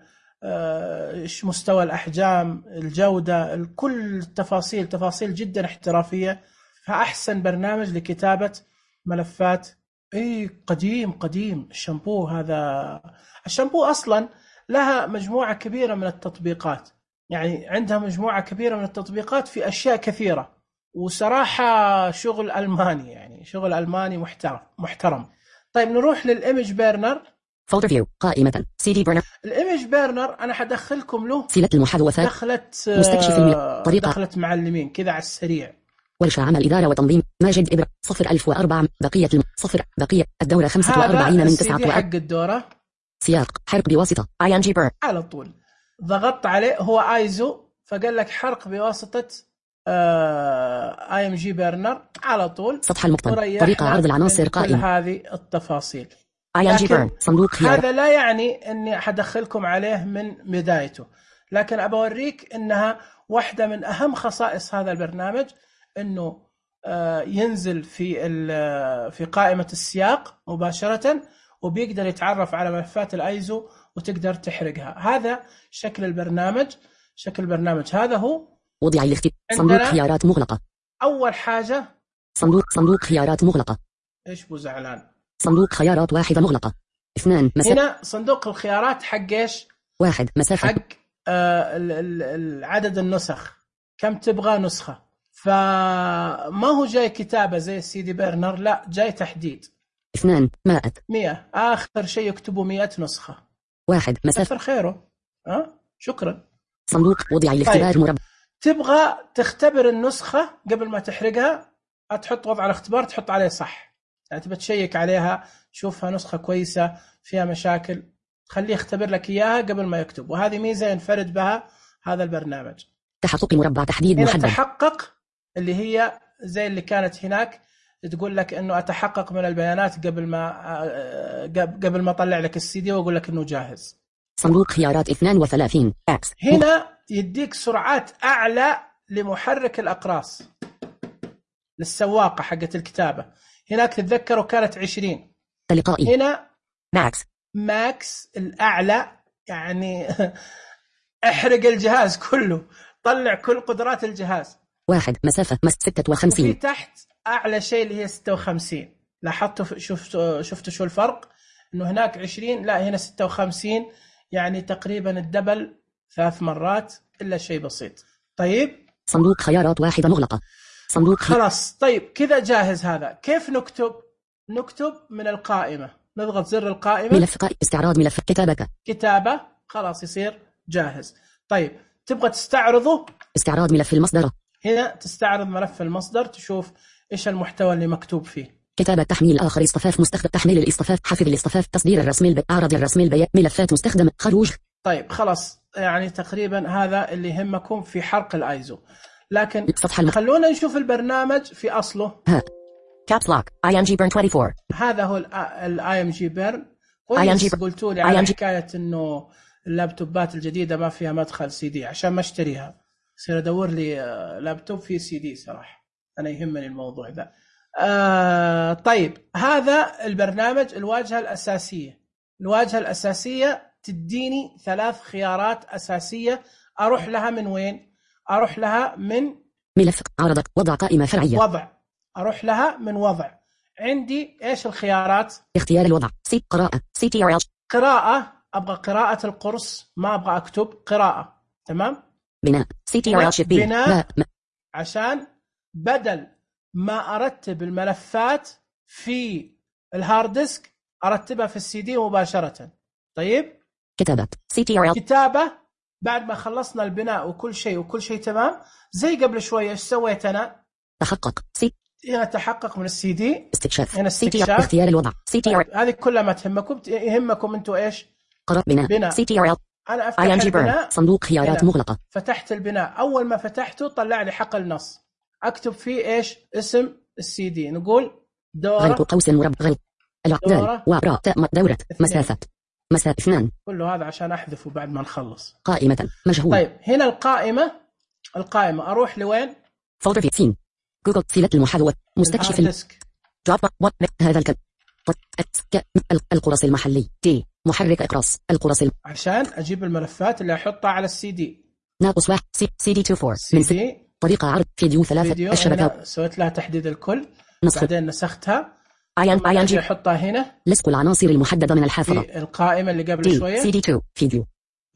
إيش مستوى الأحجام، الجودة، كل التفاصيل، تفاصيل جدا احترافية. فأحسن برنامج لكتابة ملفات. اي قديم قديم الشامبو هذا. الشامبو اصلا لها مجموعه كبيره من التطبيقات، يعني عندها مجموعه كبيره من التطبيقات في اشياء كثيره، وصراحه شغل الماني، يعني شغل الماني محترم محترم. طيب نروح للايمج بيرنر. فولدر فيو، قائمه سي دي بيرنر. الايمج بيرنر انا حدخلكم له سلة المحادثات، دخلت مستكشف المي... طريقه دخلت معلمين كذا على السريع. ورشة عمل إدارة وتنظيم، ماجد إبرة، صفر ألف وأربعة. بقية الم... صفر بقية الدورة خمسة وأربعين من تسعة وأربعين. حق الدورة سياق حرق بواسطة آي إن جي بيرن. على طول ضغطت عليه، هو آيزو، فقال لك حرق بواسطة آي إم جي بيرنر على طول. سطح المقطن، طريقة عرض العناصر قائمة، كل هذه التفاصيل. آي إن جي بيرن صندوق خيار. هذا لا يعني أني حدخلكم عليه من بدايته، لكن أبى أوريك أنها واحدة من أهم خصائص هذا البرنامج، أنه ينزل في في قائمة السياق مباشرة، وبيقدر يتعرف على ملفات الأيزو وتقدر تحرقها. هذا شكل البرنامج. شكل البرنامج هذا هو وضع الاختيار، صندوق خيارات مغلقة. أول حاجة صندوق صندوق خيارات مغلقة. إيش بو زعلان؟ صندوق خيارات واحدة مغلقة. اثنان مسافة. هنا صندوق الخيارات حق إيش؟ واحد مسافة. حق آه عدد النسخ، كم تبغى نسخة. فما هو جاي كتابة زي السي دي بيرنر، لا جاي تحديد. اثنان مائة. مئة، آخر شيء يكتبوا مئة نسخة. واحد مسافة. كثر خيره. أه؟ شكرا. صندوق وضع الاختبار طيب. مربع. تبغى تختبر النسخة قبل ما تحرقها، تحط وضع الاختبار، تحط عليه صح، يعني تبى تشيك عليها، شوفها نسخة كويسة فيها مشاكل، خليه يختبر لك إياها قبل ما يكتب. وهذه ميزة ينفرد بها هذا البرنامج. تحقق مربع تحديد هنا محدد. تحقق اللي هي زي اللي كانت هناك تقول لك انه اتحقق من البيانات قبل ما قبل ما اطلع لك السي دي واقول لك انه جاهز. صندوق خيارات اثنين وثلاثين اكس. هنا يديك سرعات اعلى لمحرك الاقراص للسواقه حقت الكتابه. هناك تتذكروا كانت عشرين، تلقائي. هنا ماكس. ماكس الاعلى، يعني احرق الجهاز كله، طلع كل قدرات الجهاز. واحد مسافة مس ستة وخمسين. وفي تحت أعلى شيء اللي هي ستة وخمسين. لاحظتوا شفتوا شفتوا شو الفرق؟ إنه هناك عشرين، لا هنا ستة وخمسين، يعني تقريبا الدبل ثلاث مرات إلا شيء بسيط. طيب صندوق خيارات واحدة مغلقة. صندوق خلاص. طيب كذا جاهز. هذا كيف نكتب؟ نكتب من القائمة، نضغط زر القائمة. ملف قائمة استعراض ملف كتابك. كتابة خلاص يصير جاهز. طيب تبغى تستعرضه؟ استعراض ملف المصدر. هنا تستعرض ملف المصدر، تشوف إيش المحتوى اللي مكتوب فيه. كتابة تحميل آخر اصطفاف مستخدم تحميل الاصطفاف حفظ الاصطفاف تصدير الرسم البياني أعرض الرسم البياني ملفات مستخدمة خروج. طيب خلاص، يعني تقريبا هذا اللي يهمكم في حرق الايزو. لكن الم... خلونا نشوف البرنامج في أصله. ها كابس لوك اي ام جي بيرن أربعة وعشرين. هذا هو الاي ام جي بيرن. كويس قلتوا لي على حكاية انه اللابتوبات الجديدة ما فيها مدخل سي دي عشان ما اشتريها. صير ادور لي لابتوب فيه سي دي صراحة، انا يهمني الموضوع ذا. آه طيب هذا البرنامج. الواجهة الأساسية، الواجهة الأساسية تديني ثلاث خيارات أساسية. أروح لها من وين؟ أروح لها من ملف عرضك وضع قائمة فرعية. وضع. أروح لها من وضع. عندي إيش الخيارات؟ اختيار الوضع. سي قراءة سي تي ار ال. قراءة، أبغى قراءة القرص، ما أبغى أكتب قراءة. تمام. بناء سي تي ار ال شيب. بناء عشان بدل ما أرتب الملفات في الهارد ديسك أرتبها في السي دي مباشرة. طيب كتابة سي تي ار ال. كتابة بعد ما خلصنا البناء وكل شيء وكل شيء تمام. زي قبل شوية إيش سويت أنا؟ تحقق سي. هنا تحقق من السي دي. استكشاف هنا استكشاف. اختيار الوضع سي تي ار. هذه كلها ما تهمكم، يهمكم أنتوا إيش؟ قراءة بناء, بناء. سي تي ار ال. أنا أفتح البناء. صندوق خيارات مغلقة. فتحت البناء. أول ما فتحته طلع لي حقل نص، أكتب فيه إيش؟ اسم السي دي. نقول دورة غلق قوس مربع غلق العقدال وراء دورة مسافة مسافة اثنان. كله هذا عشان أحذفه بعد ما نخلص. قائمة مجهول. طيب هنا القائمة. القائمة أروح لوين؟ فولدر في سين جوجل سيلة المحاذوة مستكشف الديسك. دروب هذا الكلام القرص المحلي دي محرك اقراص القرص الم... عشان أجيب الملفات اللي أحطها على السي دي. ناقص واحد سي, سي دي أربعة وعشرين من سي... طريقة عرض فيديو ثلاثة فيديو. الشبكة سويت لها تحديد الكل. نسخ. بعدين نسختها. اي ان جي احطها هنا. لصق العناصر المحددة من الحافظة في القائمة اللي قبل دي. شوية سي دي اثنين فيديو.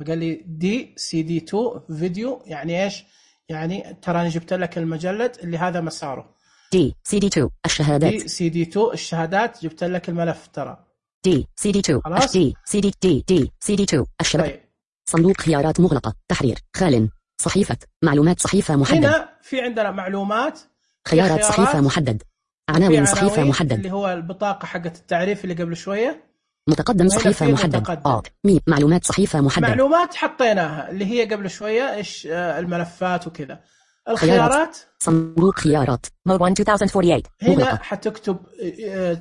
قال لي دي سي دي اثنين فيديو. يعني ايش؟ يعني ترى جبت لك المجلد اللي هذا مساره. دي سي دي اثنين الشهادات. دي سي دي اثنين الشهادات. جبت لك الملف ترى. دي سي دي اثنين خلاص. دي سي دي دي دي سي دي اثنين الشبكة. طيب. صندوق خيارات مغلقة تحرير خال صحيفة معلومات صحيفة محدد. هنا في عندنا معلومات. خيارات, خيارات صحيفة محدد. عناوين صحيفة محدد اللي هو البطاقة حقت التعريف اللي قبل شوية. متقدم صحيفة محدد. آه. مي معلومات صحيفة محدد. معلومات حطيناها اللي هي قبل شوية إيش الملفات وكذا. الخيارات. صندوق خيارات مود واحد ألفين وأربعة وأربعين. هنا حتكتب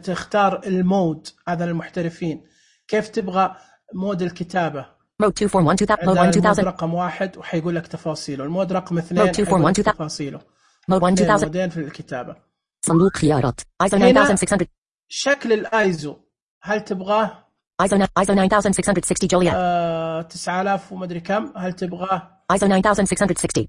تختار المود هذا للمحترفين. كيف تبغى مود الكتابة؟ مود اثنين أربعة واحد مود واحد المود رقم واحد وحيقول لك تفاصيله. المود رقم اثنين مود اثنين واحد تفاصيله. مود واحد ألفين مودين في الكتابة. صندوق خيارات ايزو تسعة آلاف وستمية. شكل الايزو هل تبغاه ايزو ايزو تسعة آلاف وستمية وستين جوليا آه تسعة آلاف ومدري كم. هل تبغاه ايزو تسعة آلاف وستمية وستين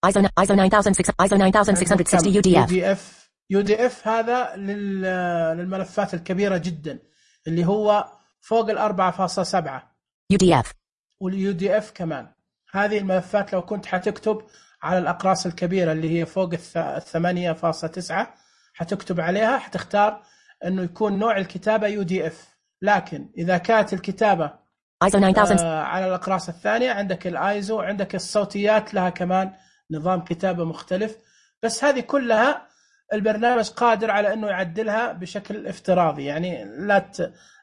ايزو ايزو تسعة آلاف وستمية ايزو تسعة آلاف وستمية وستين يو دي اف. يو دي اف هذا للملفات الكبيرة جدا اللي هو فوق ال أربعة فاصلة سبعة يو دي اف. واليو دي اف كمان. هذه الملفات لو كنت حتكتب على الأقراص الكبيرة اللي هي فوق الثمانية فاصلة تسعة حتكتب عليها، حتختار أنه يكون نوع الكتابة يو دي اف. لكن إذا كانت الكتابة آه على الأقراص الثانية عندك الآيزو، عندك الصوتيات لها كمان نظام كتابة مختلف. بس هذه كلها البرنامج قادر على أنه يعدلها بشكل افتراضي، يعني لا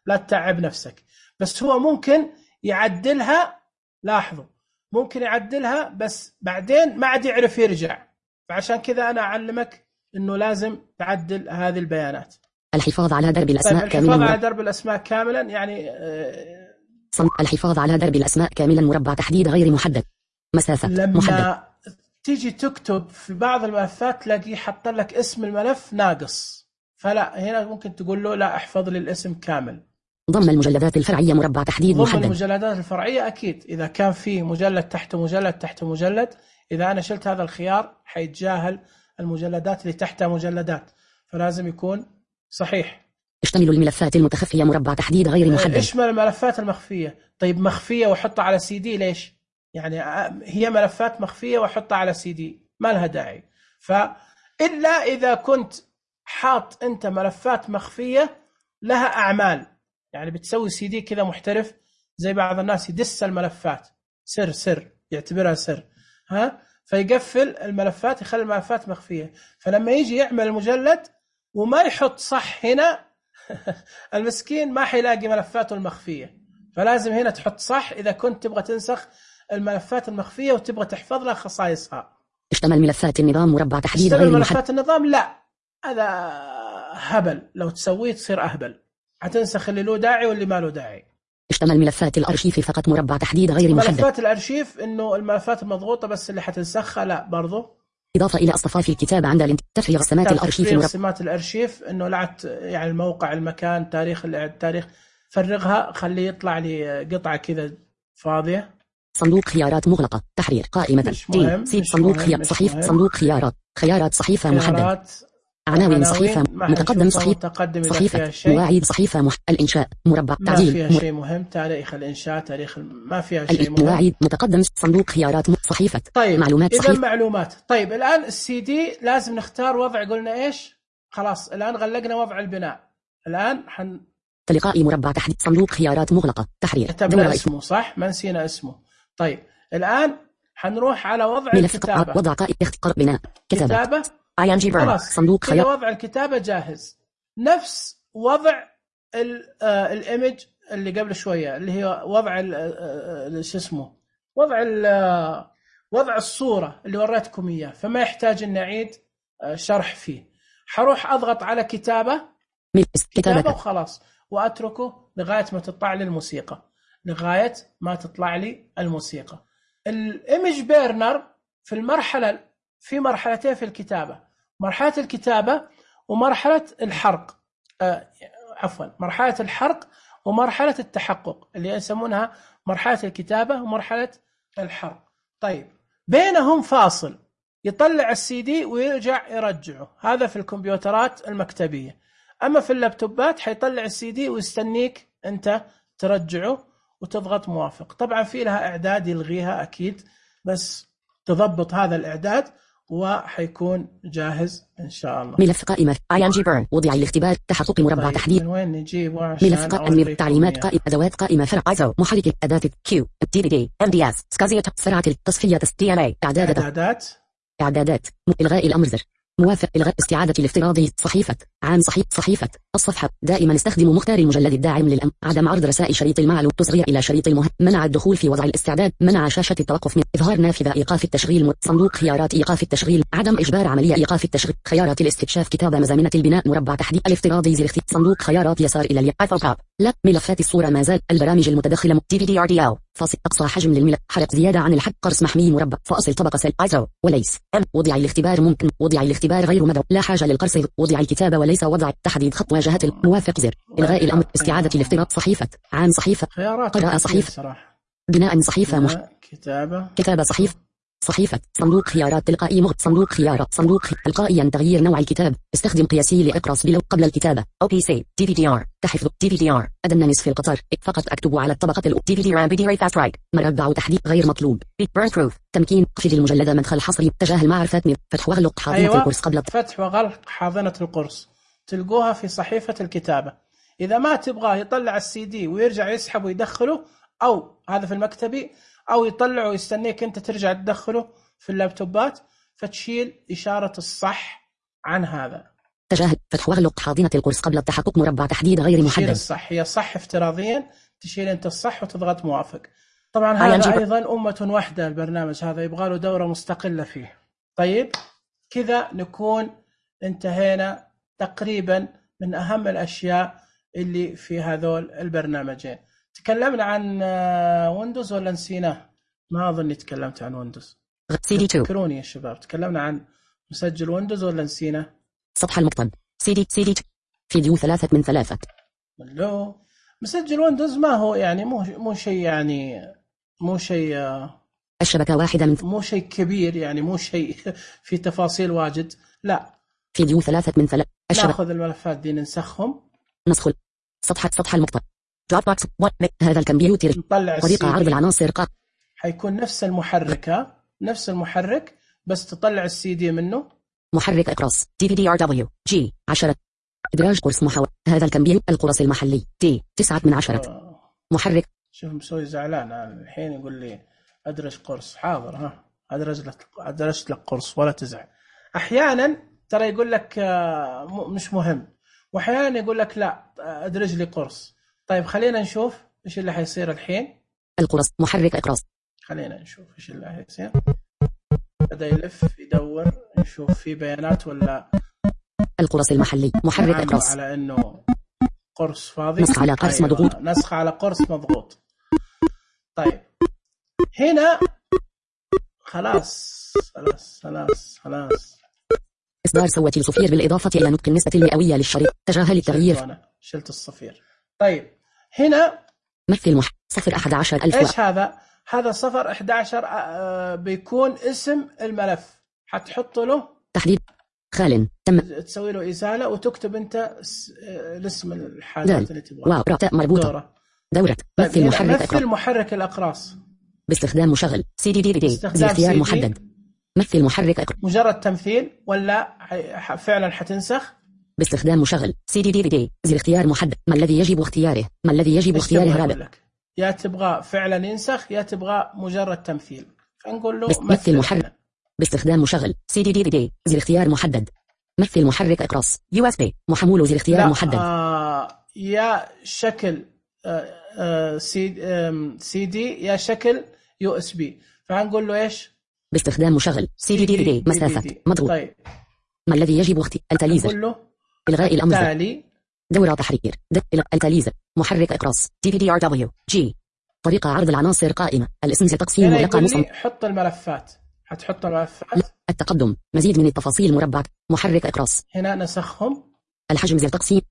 لا تتعب نفسك. بس هو ممكن يعدلها. لاحظوا ممكن يعدلها بس بعدين ما عاد يعرف يرجع. فعشان كذا أنا أعلمك إنه لازم تعدل هذه البيانات. الحفاظ على درب الأسماء طيب كاملا. الحفاظ على درب الأسماء كاملا يعني آه صم... الحفاظ على درب الأسماء كاملا مربع تحديد غير محدد. مسافة لما محدد. تيجي تكتب في بعض الملفات تلاقيه حط لك اسم الملف ناقص، فلا هنا ممكن تقول له لا احفظ لي الاسم كامل. ضم المجلدات الفرعية مربع تحديد ضم محدد. ضم المجلدات الفرعية أكيد إذا كان في مجلد تحت مجلد تحت مجلد، إذا أنا شلت هذا الخيار حيتجاهل المجلدات اللي تحتها مجلدات، فلازم يكون صحيح. اشتمل الملفات المتخفية مربع تحديد غير محدد. اشمل الملفات المخفية. طيب مخفية وحطها على سي دي ليش؟ يعني هي ملفات مخفية وحطها على سي دي ما لها داعي. فإلا إذا كنت حاط أنت ملفات مخفية لها أعمال، يعني بتسوي سي دي كذا محترف زي بعض الناس يدس الملفات سر سر يعتبرها سر، ها فيقفل الملفات يخلي الملفات مخفية، فلما يجي يعمل المجلد وما يحط صح هنا المسكين ما حيلاقي ملفاته المخفية. فلازم هنا تحط صح إذا كنت تبغى تنسخ الملفات المخفية وتبغى تحفظ لها خصائصها. اشتمل ملفات النظام مربع تحديد غير محدد. ملفات النظام لا، هذا هبل، لو تسويه تصير أهبل، هتنسخ اللي له داعي واللي ما له داعي. اشتمل ملفات الأرشيف فقط مربع تحديد غير محدد. ملفات الأرشيف إنه الملفات المضغوطة بس اللي حتنسخها لا برضو. إضافة إلى أصطفاف الكتاب عند تفريغ سمات الأرشيف تفريغ سمات الأرشيف إنه لعت يعني الموقع المكان تاريخ التاريخ فرغها خليه يطلع لي قطعة كذا فاضية. صندوق خيارات مغلقة تحرير قائمة دي سيد صندوق خيار صحيفة صندوق خيارات خيارات صحيفة محدد عناوين صحيفة متقدم صحيفة صحيفة مواعيد صحيفة مح... الإنشاء مربع ما تعديل فيها شيء مهم تاريخ الإنشاء تاريخ ما فيها شيء مهم. مواعيد متقدم صندوق خيارات صحيفة طيب معلومات إذا صحيفة معلومات. طيب الآن السي دي لازم نختار وضع قلنا إيش خلاص الآن غلقنا وضع البناء. الآن حن تلقائي مربع تحديد صندوق خيارات مغلقة تحرير كتبنا اسمه صح ما نسينا اسمه. طيب الآن حنروح على وضع الكتابة وضع قائمة اختيار بناء كتابة, كتابة. اي ان جي بيرن صندوق خيار وضع الكتابة جاهز نفس وضع الايمج اللي قبل شوية اللي هي وضع شو اسمه وضع وضع الصورة اللي وريتكم إياه، فما يحتاج أن نعيد شرح فيه. حروح أضغط على كتابة كتابة وخلاص وأتركه لغاية ما تطلع لي الموسيقى لغاية ما تطلع لي الموسيقى. الايمج بيرنر في المرحلة في مرحلتين في الكتابة، مرحلة الكتابة ومرحلة الحرق آه عفوا مرحلة الحرق ومرحلة التحقق اللي يسمونها مرحلة الكتابة ومرحلة الحرق. طيب بينهم فاصل يطلع السي دي ويرجع يرجعه، هذا في الكمبيوترات المكتبية. أما في اللابتوبات حيطلع السي دي ويستنيك أنت ترجعه وتضغط موافق. طبعا في لها إعداد يلغيها أكيد، بس تضبط هذا الإعداد وحيكون جاهز إن شاء الله. ملف قائمة اي ان جي بيرن وضع الاختبار تحقق مربع طيب تحديد. من وين نجيبه عشان ملف قائمة تعليمات قائمة أدوات قائمة فرع ايزو محرك أداة كيو دي في دي ام دي اس سكازية سرعة التصفية دي ان اي إعدادات إعدادات إعدادات إلغاء الأمر زر موافق إلغاء استعادة الافتراضي صحيفة عام صحيفة صحيفة الصفحة دائما استخدم مختار المجلد الداعم للأمر عدم عرض رسائل شريط المعلوم تصغير إلى شريط المهم منع الدخول في وضع الاستعداد منع شاشة التوقف من إظهار نافذة إيقاف التشغيل صندوق خيارات إيقاف التشغيل عدم إجبار عملية إيقاف التشغيل خيارات الاستكشاف كتابة مزامنة البناء مربع تحديد الافتراضي زر اختيار صندوق خيارات يسار إلى اليمين لا ملفات الصورة ما زال البرامج المتدخلة دي في دي ار دي ال فاصل أقصى حجم للملف حرق زيادة عن الحد قرص محمي مربع فاصل طبقة سل ايزو وليس ام وضع الاختبار ممكن وضع الاختبار غير مدعو لا حاجة للقرص وضع الكتابة وليس وضع تحديد خط واجهة الموافق زر إلغاء الأمر استعادة الافتراض صحيفة عام صحيفة قراءة صحيفة بناء صحيفة مح... كتابة كتابة صحيفة صحيفة صندوق خيارات تلقائي مغ صندوق خيارات صندوق تلقائيا تغيير نوع الكتاب استخدم قياسي لإقراص بلو قبل الكتابة أو بي سي دي في دي ار تحفظ دي في دي ار أدنى نصف القطر فقط أكتب على الطبقة ال دي في دي رام بي فاست رايت مربع تحديد غير مطلوب بيرن بروف تمكين قفل المجلد مدخل حصري تجاهل معرفة فتح وغلق حاضنة أيوة. القرص قبل فتح وغلق حاضنة القرص تلقوها في صحيفة الكتابة. إذا ما تبغاه يطلع السي دي ويرجع يسحب ويدخله أو هذا في المكتبي أو يطلعه ويستنيك أنت ترجع تدخله في اللابتوبات فتشيل إشارة الصح عن هذا تجاهل فتح وغلق حاضنة القرص قبل التحقق مربع تحديد غير محدد تشيل الصح هي صح افتراضيا تشيل أنت الصح وتضغط موافق. طبعا هذا أيضا أمة واحدة، البرنامج هذا يبغى له دورة مستقلة فيه. طيب كذا نكون انتهينا تقريبا من أهم الأشياء اللي في هذول البرنامجين. تكلمنا عن ويندوز ولا نسيناه؟ ما أظن تكلمت عن ويندوز. سي دي تو. ذكروني يا شباب، تكلمنا عن مسجل ويندوز ولا نسيناه؟ سطح المقطب سي دي سي دي فيديو ثلاثة من ثلاثة. لو مسجل ويندوز ما هو يعني مو مو شيء يعني مو شيء الشبكة واحدة من مو شيء كبير يعني مو شيء في تفاصيل واجد. لا فيديو ثلاثة من ثلاثة. ناخذ الملفات دي ننسخهم. نسخ سطح سطح المقطع دروب بوكس. هذا الكمبيوتر نطلع طريقة عرض العناصر قا حيكون نفس المحرك نفس المحرك بس تطلع السي دي منه. محرك اقراص دي في دي ار دبليو جي عشرة. ادراج قرص محور. هذا الكمبيوتر القرص المحلي دي تسعة من عشرة. آه. محرك. شوف مسوي زعلان الحين يقول لي ادرج قرص. حاضر ها ادرج لك ادرجت لك قرص ولا تزعل. احيانا ترى يقول لك مش مهم، واحيانا يقول لك لا ادرج لي قرص. طيب خلينا نشوف ايش اللي حيصير الحين. القرص محرك اقراص. خلينا نشوف ايش اللي حيصير. بدا يلف يدور نشوف في بيانات ولا. القرص المحلي محرك اقراص على انه قرص فاضي. نسخ على قرص أيوة. مضغوط. نسخ على قرص مضغوط. طيب هنا خلاص خلاص خلاص خلاص إصدار صوت الصفير بالإضافة إلى نطق النسبة المئوية للشريط. تجاهل التغيير. أنا شلت الصفير. طيب هنا مثل مح صفر أحد عشر ألف. إيش هذا؟ هذا صفر أحد عشر آه بيكون اسم الملف. حتحط له تحديد خال. تم تسوي له إزالة وتكتب أنت الاسم الحاجات اللي تبغاها. واو راء مربوطة. دورة. دورة. طيب مثل محرك مثل محرك الأقراص. باستخدام مشغل سي دي دي في دي. باختيار محدد. مثل محرك أقراص. مجرد تمثيل ولا فعلا حتنسخ؟ باستخدام مشغل سي دي دي في دي. زر اختيار محدد. ما الذي يجب اختياره؟ ما الذي يجب اختياره رابع؟ يا تبغى فعلا ينسخ يا تبغى مجرد تمثيل. فنقول له مثل محرك. باستخدام مشغل سي دي دي في دي. زر اختيار محدد. مثل محرك اقراص يو اس بي محمول. زر اختيار محدد. آه يا شكل آه آه سي آه سي دي يا شكل يو اس بي. فهنقول له ايش؟ باستخدام مشغل سي دي دي في دي. مسافة مضغوط. طيب ما الذي يجب اختيار؟ التاليزر. نقول له الغاء الامر. التالي. دورة تحرير. التاليزر. محرك اقراص دي في دي ار دبليو جي. طريقة عرض العناصر قائمة. الاسم تقسيم ورقم مصمم. حط الملفات. حتحط الملفات. التقدم. مزيد من التفاصيل مربع. محرك اقراص. هنا نسخهم. الحجم زر تقسيم.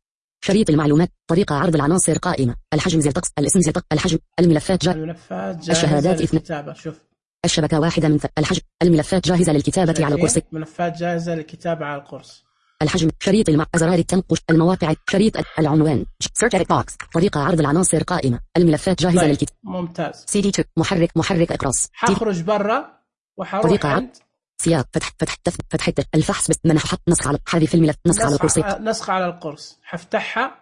شريط المعلومات. طريقة عرض العناصر قائمة. الحجم زر تقسيم. الاسم زر تقسيم. الحجم. الملفات جاهزة. الملفات جاهزة الشهادات للكتابة. شوف. الشبكة واحدة من ث... الحجم. الملفات جاهزة للكتابة على القرص. ملفات جاهزة للكتابة على القرص. الحجم. شريط المع... زرار التنقش. المواقع. شريط العنوان. Search edit box. طريقة عرض العناصر قائمة. الملفات جاهزة طيب. للكتابة. ممتاز. سي دي تو. محرك محرك اقراص. حخرج برا وحروح طريقة عند سياق فتح فتح فتح الفحص بس من حط نسخ على حذف الملف. نسخ على القرص. نسخ على القرص. حفتحها.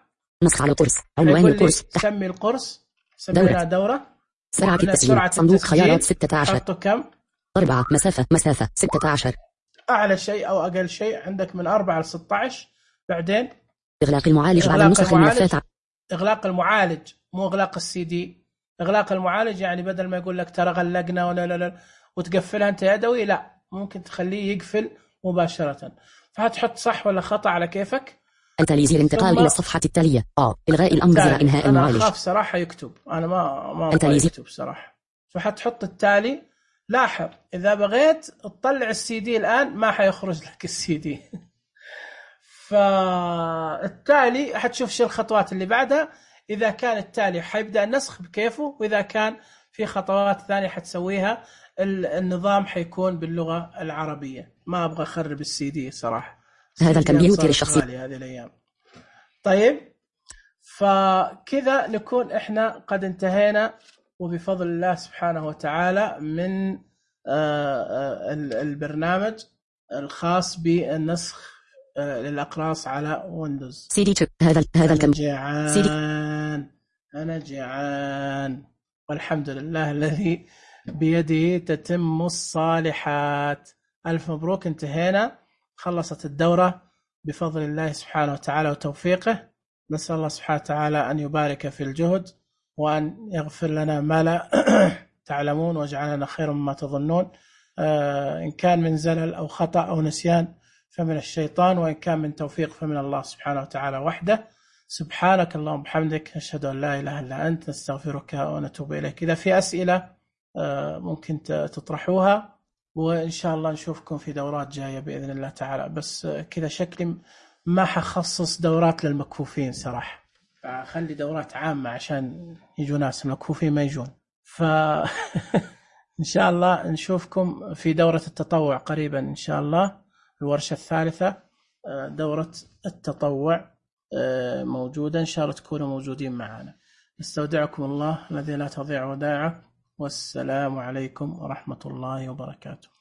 نسخ على القرص. عنوان القرص. سمي القرص. سمينا دورة. سرعة التسجيل. صندوق خيارات ستة عشر. حطه كم؟ أربعة. مسافة مسافة ستة عشر. أعلى شيء أو أقل شيء عندك من أربعة ل ستة عشر. بعدين إغلاق المعالج على نسخ الملفات. إغلاق المعالج مو إغلاق السي دي. إغلاق المعالج يعني بدل ما يقول لك ترى غلقنا ولا لا لا وتقفلها أنت يدوي، لا ممكن تخليه يقفل مباشرة. فهتحط صح ولا خطأ على كيفك. التالي الانتقال إلى الصفحة التالية. آه إلغاء الأمر زر إنهاء المعالج. أنا أخاف صراحة يكتب. أنا ما ما أبغى يكتب صراحة. فحتحط التالي. لاحظ إذا بغيت تطلع السي دي الآن ما حيخرج لك السي دي. فالتالي حتشوف شو الخطوات اللي بعدها. إذا كان التالي حيبدأ النسخ بكيفه، وإذا كان في خطوات ثانية حتسويها النظام حيكون باللغة العربية. ما أبغى أخرب السي دي صراحة. هذا الكمبيوتر الشخصي هذه الأيام. طيب فكذا نكون إحنا قد انتهينا وبفضل الله سبحانه وتعالى من البرنامج الخاص بالنسخ للأقراص على ويندوز. سي دي تو. هذا هذا الكم جيعان. أنا جيعان والحمد لله الذي بيده تتم الصالحات. ألف مبروك. انتهينا. خلصت الدورة بفضل الله سبحانه وتعالى وتوفيقه. نسأل الله سبحانه وتعالى أن يبارك في الجهد وأن يغفر لنا ما لا تعلمون واجعلنا خير مما تظنون. إن كان من زلل أو خطأ أو نسيان فمن الشيطان، وإن كان من توفيق فمن الله سبحانه وتعالى وحده. سبحانك اللهم وبحمدك، نشهد أن لا إله إلا أنت، نستغفرك ونتوب إليك. إذا في أسئلة ممكن تطرحوها، وإن شاء الله نشوفكم في دورات جاية بإذن الله تعالى. بس كذا شكلي ما حخصص دورات للمكفوفين صراحة، خلي دورات عامة عشان يجوا ناس المكفوفين ما يجون. ف إن شاء الله نشوفكم في دورة التطوع قريبا إن شاء الله، الورشة الثالثة دورة التطوع موجودة، إن شاء الله تكونوا موجودين معنا. نستودعكم الله الذي لا تضيع ودائعه، والسلام عليكم ورحمة الله وبركاته.